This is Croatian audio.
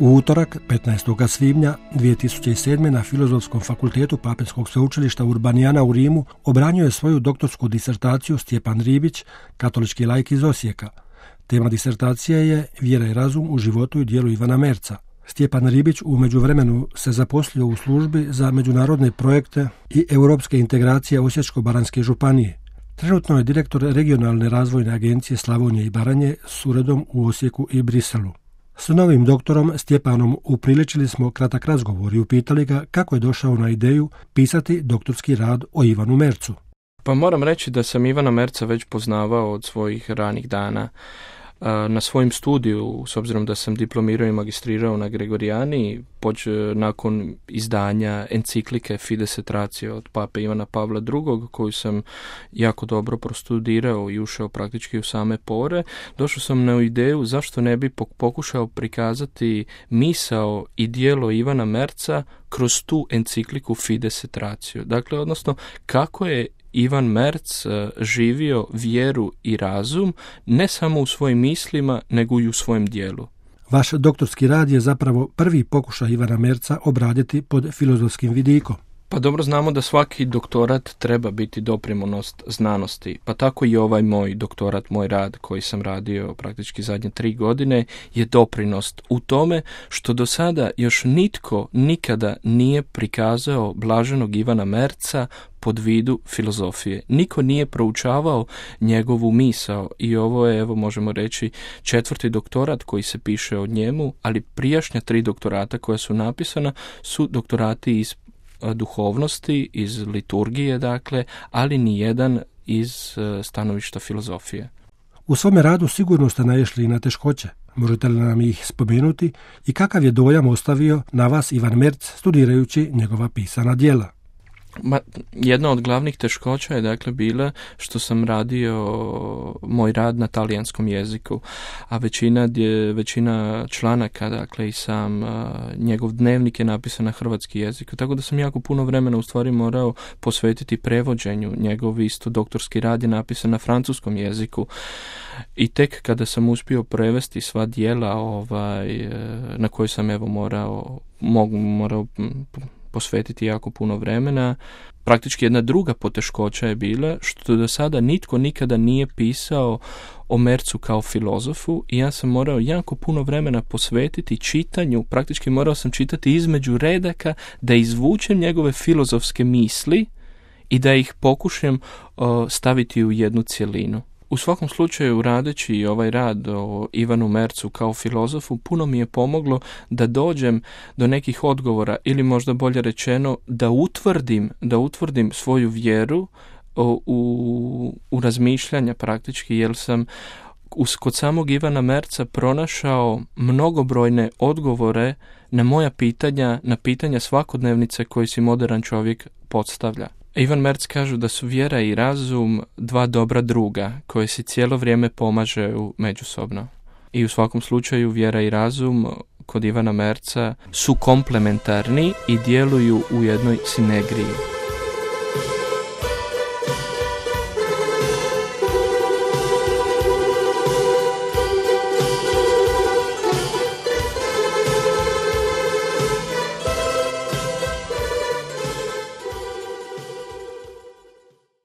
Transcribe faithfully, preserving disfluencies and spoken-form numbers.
U utorak, petnaestog svibnja dvije tisuće sedme. na Filozofskom fakultetu Papinskog sveučilišta Urbanijana u Rimu obranio je svoju doktorsku disertaciju Stjepan Ribić, katolički laik iz Osijeka. Tema disertacije je Vjera i razum u životu i djelu Ivana Merza. Stjepan Ribić u međuvremenu se zaposlio u službi za međunarodne projekte i europske integracije Osječko-baranjske županije. Trenutno je direktor regionalne razvojne agencije Slavonije i Baranje s uredom u Osijeku i Briselu. S novim doktorom Stjepanom upriličili smo kratak razgovor i upitali ga kako je došao na ideju pisati doktorski rad o Ivanu Merzu. Pa moram reći da sam Ivana Merza već poznavao od svojih ranih dana. Na svojim studiju, s obzirom da sam diplomirao i magistrirao na Gregorijani, poč, nakon izdanja enciklike Fides et Ratio od pape Ivana Pavla drugog, koju sam jako dobro prostudirao i ušao praktički u same pore, došao sam na ideju zašto ne bi pokušao prikazati misao i djelo Ivana Merza kroz tu encikliku Fides et Ratio. Dakle, odnosno, kako je Ivan Merz živio vjeru i razum ne samo u svojim mislima, nego i u svojem djelu. Vaš doktorski rad je zapravo prvi pokušaj Ivana Merza obraditi pod filozofskim vidikom. Pa dobro znamo da svaki doktorat treba biti doprinos znanosti, pa tako i ovaj moj doktorat, moj rad koji sam radio praktički zadnje tri godine je doprinos u tome što do sada još nitko nikada nije prikazao blaženog Ivana Merza pod vidu filozofije. Niko nije proučavao njegovu misao i ovo je, evo možemo reći, četvrti doktorat koji se piše o njemu, ali prijašnja tri doktorata koja su napisana su doktorati iz duhovnosti, iz liturgije, dakle, ali ni jedan iz stanovišta filozofije. U svome radu sigurno ste naišli i na teškoće. Možete li nam ih spomenuti i kakav je dojam ostavio na vas Ivan Merz studirajući njegova pisana djela? Ma, jedna od glavnih teškoća je dakle bila što sam radio moj rad na talijanskom jeziku, a većina, većina članaka, dakle i sam njegov dnevnik je napisan na hrvatski jezik, tako da sam jako puno vremena u stvari morao posvetiti prevođenju. Njegov isto doktorski rad je napisan na francuskom jeziku i tek kada sam uspio prevesti sva djela ovaj, na koje sam evo morao, mogu, morao posvetiti jako puno vremena. Praktički jedna druga poteškoća je bila što do sada nitko nikada nije pisao o Merzu kao filozofu i ja sam morao jako puno vremena posvetiti čitanju, praktički morao sam čitati između redaka da izvučem njegove filozofske misli i da ih pokušam o, staviti u jednu cjelinu. U svakom slučaju, radeći ovaj rad o Ivanu Merzu kao filozofu, puno mi je pomoglo da dođem do nekih odgovora ili možda bolje rečeno da utvrdim, da utvrdim svoju vjeru o, u, u razmišljanja praktički, jer sam kod samog Ivana Merza pronašao mnogobrojne odgovore na moja pitanja, na pitanja svakodnevnice koje si moderan čovjek postavlja. Ivan Merz kažu da su vjera i razum dva dobra druga koje si cijelo vrijeme pomažu međusobno. I u svakom slučaju vjera i razum kod Ivana Merza su komplementarni i djeluju u jednoj sinergiji.